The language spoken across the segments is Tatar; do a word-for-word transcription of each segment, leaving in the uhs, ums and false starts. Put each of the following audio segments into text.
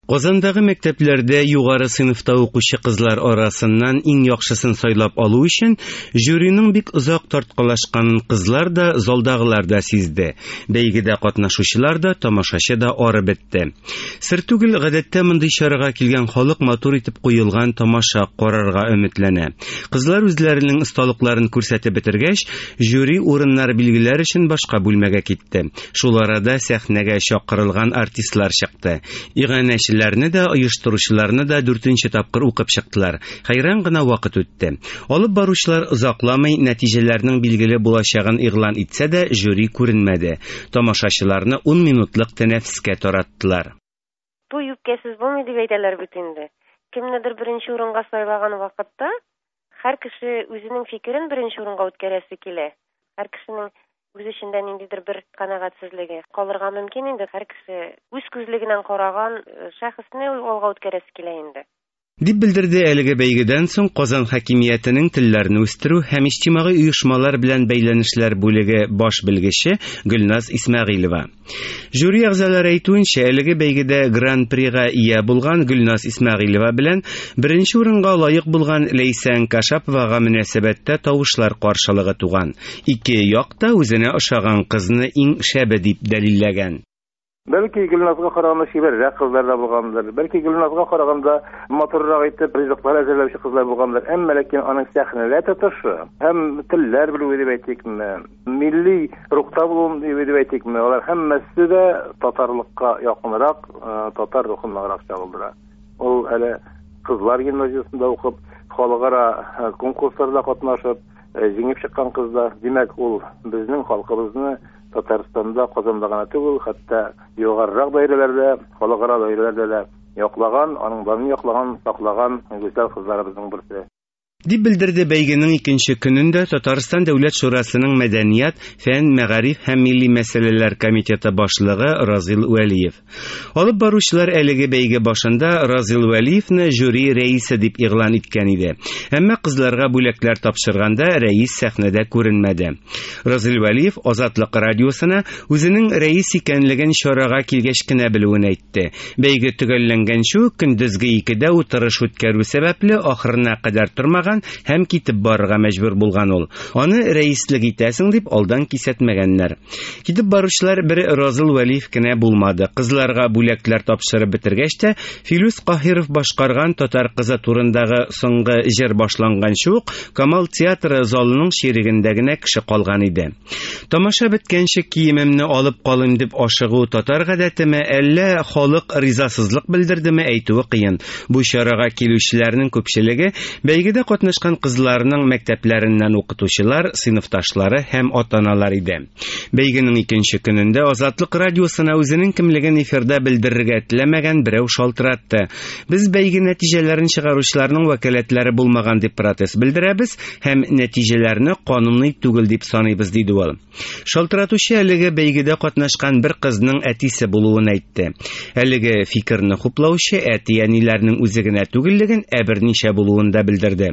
Казандагы мәктәпләрдә югары сыйныфта укучы кызлар арасыннан иң яхшысын сайлап алу өчен жюриның бик озак тарткалашканын кызлар да, залдагылар да сизде. Бәйгедә катнашучылар да, тамашачы да арып бетте. Сер түгел, гадәттә мондый чарага килгән халык матур итеп куелган тамаша карарга өметләнә. Кызлар үзләренең осталыкларын күрсәтеп бетергәч, жюри урыннар билгеләр өчен башка бүлмәгә китте. Шул арада сәхнәгә чакырылган артистлар чыкты. Иганәчеләрне дә, оештыручыларны да дүртенче тапкыр укып чыктылар. Хәйран гына вакыт үтте. Алып баручылар озакламый нәтиҗәләрнең билгеле булачагын игълан итсә дә, жюри күренмәде. Тамашачыларны ун минутлык тәнәфескә тараттылар. Туй үпкәсез булмый дип әйтәләр бит инде. Кемнедер беренче урынга сайлаган вакытта һәр кеше үзенең фикерен беренче урынга үткәрәсе килә. Һәр кешенең үз эчендә ниндидер бер канәгатьсезлеге калырга мөмкин инде. Һәр кеше үз күзлегеннән караган шәхесне алга үткәрәсе килә инде. Дип белдерде әлеге бәйгедән соң Казан хакимиятенең телләрне үстерү һәм иҗтимагый оешмалар белән бәйләнешләр бүлеге баш белгече Гөлназ Исмәгыйлева. Жюри әгъзалары әйтүенчә, әлеге бәйгедә гран-прига ия булган Гөлназ Исмәгыйлева белән беренче урынга лаек булган Ләйсән Кашаповага мөнәсәбәттә тавышлар каршылыгы туган. Ике як та үзенә ошаган кызны иң шәбе дип дәлилләгән. Бәлки Гөлназга караганда чибәррәк кызлар да булгандыр, бәлки Гөлназга караганда матуррак итеп ризыклар әзерләүче кызлар булгандыр, әмма ләкин аның сәхнәдә тотышы һәм телләр белүе дип әйтикме, милли рухта булуы дип әйтикме, алар һәммәсе дә татарлыкка якынрак, татар рухын ныграк чагылдыра. Ул әле кызлар гимназиясендә укып, халыкара конкурсларда катнашып, җиңеп чыккан кызлар. Димәк, ул безнең халкыбызны Татарстанда, Казанда гына түгел, хәтта югарырак даирәләрдә, халыкара даирәләрдә дә яклаган, аның данын яклаган, саклаган гүзәл кызларыбызның берсе. Дип белдерде бәйгенең икенче көнендә Татарстан Дәүләт Шурасының Мәдәният, фән, мәгариф һәм милли мәсьәләләр комитеты башлыгы Разил Вәлиев. Алып баручылар әлеге бәйге башында Разил Вәлиевне жюри рәисе дип игълан иткән иде. Әмма кызларга бүләкләр тапшырганда рәис сәхнәдә күренмәде. Разил Вәлиев Азатлык радиосына үзенең рәис икәнлеген чарага килгәч кенә белүен әйтте. Бәйге төгәлләнгәнче үк көндезге икедә утырыш үткәрү сәбәпле ахырына кадәр тормаган һәм китеп барырга мәҗбүр булган ул. Аны рәислек итәсең дип алдан кисәтмәгәннәр. Китеп баручылар бер Разил Вәлиев кенә булмады. Кызларга бүләкләр тапшырып бетергәч тә Филүс Каһиров башкарган татар кызы турындагы соңгы җыр башланганчы ук Камал театры залының чирегендә генә кеше калган иде. Тамаша беткәнче киемемне алып калыйм дип ашыгу татар гадәтеме, әллә халык ризасызлык белдердеме, әйтүе кыен. Бу чарага килүчеләрнең күпчелеге бәйгедә катнашкан кызларның мәктәпләреннән укытучылар, сыйныфташлары һәм ата-аналар иде. Бәйгенең икенче көнендә Азатлык радиосына үзенең кемлеген эфирда белдерергә теләмәгән берәү шалтыратты. Без бәйге нәтиҗәләрен чыгаручыларның вәкаләтләре булмаган дип протест белдерәбез һәм нәтиҗәләрне кануни түгел дип саныйбыз, диде ул. Шалтыратучы әлеге бәйгедә катнашкан бер кызның әтисе булуын әйтте. Әлеге фикерне хуплаучы әти-әниләрнең үзе генә түгеллеген, ә берничә булуын да белдерде.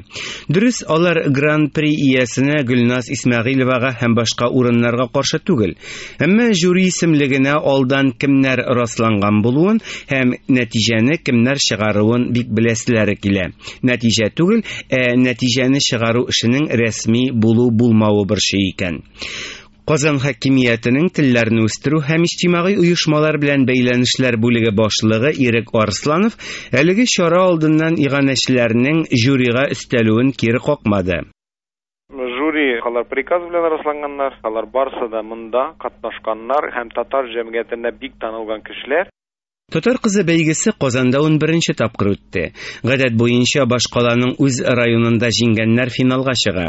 Дөрес, алар гран-при иясенә Гөлназ Исмәгыйлевага һәм башка урыннарга каршы түгел. Әмма жюри исемлегенә алдан кемнәр расланган булуын һәм нәтиҗәне кемнәр чыгаруын бик беләселәре килә. Нәтиҗә түгел, ә нәтиҗәне чыгару эшенең рәсми булу-булмавы борчый икән. Казан хакимиятенең телләрне үстерү һәм иҗтимагый оешмалар белән бәйләнешләр бүлеге башлыгы Ирек Арсланов әлеге чара алдыннан иганәчеләрнең жюрига өстәлүен кире какмады. Жюри алар приказ белән расланганнар, алар барсы да монда катнашканнар һәм татар җәмгыятендә бик танылган кешеләр. Татар кызы бәйгесе Казанда ун беренче тапкыр үтте. Гадәт буенча башкаланың үз районында җиңгәннәр финалга чыга.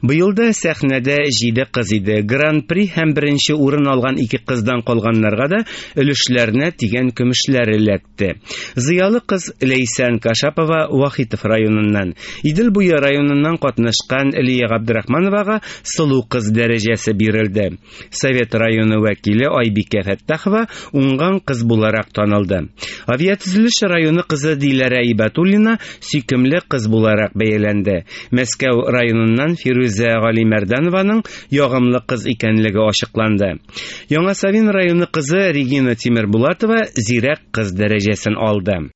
Быел да сәхнәдә җиде кыз иде. Гран-при һәм беренче урын алган ике кыздан калганнарга да өлешләренә тигән көмешләр эләкте. Зыялы кыз Ләйсән Кашапова Вахитов районыннан, Идел буе районыннан катнашкан Лия Габдрахмановага сылу кыз дәрәҗәсе бирелде. Совет районы вәкиле Айбикә Фәттахова уңган кыз буларак танылды. танылды. Авиатөзелеш районы кызы Диләрә Ибатуллина сөйкемле кыз буларак бәяләнде. Мәскәү районыннан Фирүзә Галимәрданованың ягымлы кыз икәнлеге ачыкланды. Яңа Савин районы кызы Регина Тимербулатова зирәк кыз дәрәҗәсен алды.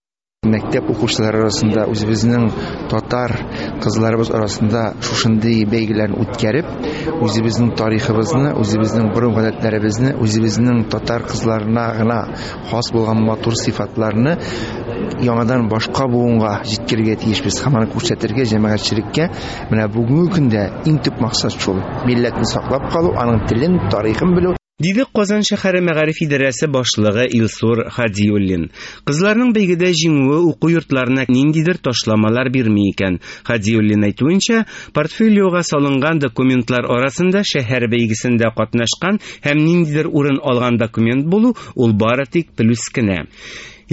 Мәктәп укучылары арасында үзебезнең татар кызларыбыз арасында шушындый бәйгеләрне үткәреп, үзебезнең тарихыбызны, үзебезнең гореф-гадәтләребезне, үзебезнең татар кызларына гына хас булган матур сыйфатларны яңадан башка буынга җиткерергә тиешбез һәм аны күрсәтергә җәмәгатьчелеккә. Менә бүгенге көндә иң төп максат шул: милләтне саклап калу, аның телен, тарихын белү. Диде Казан шәһәре мәгариф идарәсе башлыгы Илсур Хадиуллин. Кызларның бәйгедә җиңүе уку йортларына ниндидер ташламалар бирми икән. Хадиуллин әйтүенчә, портфолиога салынган документлар арасында шәһәр бәйгесендә катнашкан һәм ниндидер урын алган документ булу ул бары тик плюс кенә.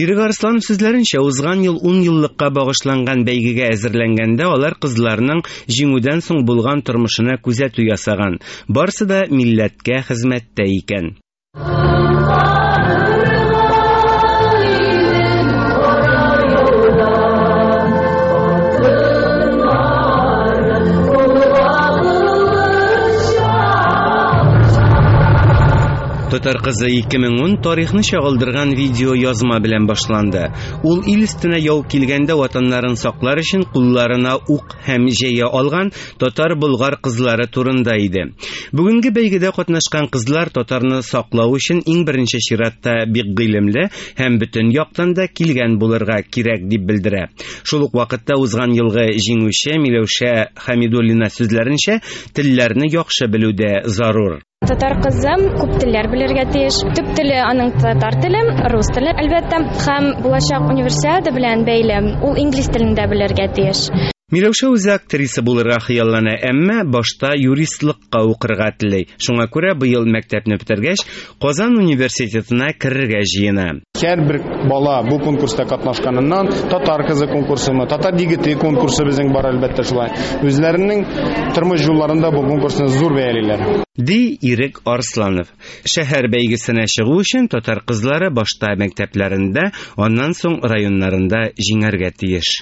Ирек Арсланов сүзләренчә, узган ел ун еллыкка багышланган бәйгегә әзерләнгәндә алар кызларның җиңүдән соң булган тормышына күзәтү ясаган. Барысы да милләткә хезмәттә икән. Татар кызы ике мең ун тарихны чагылдырган видео язма белән башланды. Ул ил өстенә яу килгәндә ватаннарын саклар өчен кулларына ук һәм җәя алган татар-болгар кызлары турында иде. Бүгенге бәйгедә катнашкан кызлар татарны саклау өчен иң беренче чиратта бик гыйлемле һәм бөтен яктан да килгән булырга кирәк дип белдерә. Шул ук вакытта узган елгы җиңүче Миләүшә Хамидуллина сүзләренчә, телләрне яхшы белү дә зарур. Татар кызы күп телләр белергә тиеш. Төп теле аның татар теле, рус теле, әлбәттә, һәм булачак универсиада белән бәйле ул инглиз телен дә белергә тиеш. Миләүшә үзе актриса булырга хыяллана, әмма башта юристлыкка укырга тели. Шуңа күрә быел мәктәпне бетергәч, Казан университетына керергә җыена. Һәрбер бала бу конкурста катнашканыннан татар кызы конкурсымы, татар егете конкурсы безнең бар, әлбәттә шулай. Үзләренең тормыш юлларында бу конкурсны зур бәялиләр. Ди Ирек Арсланов. Шәһәр бәйгесенә чыгу өчен татар кызлары башта мәктәпләрендә, аннан соң районнарында җиңәргә тиеш.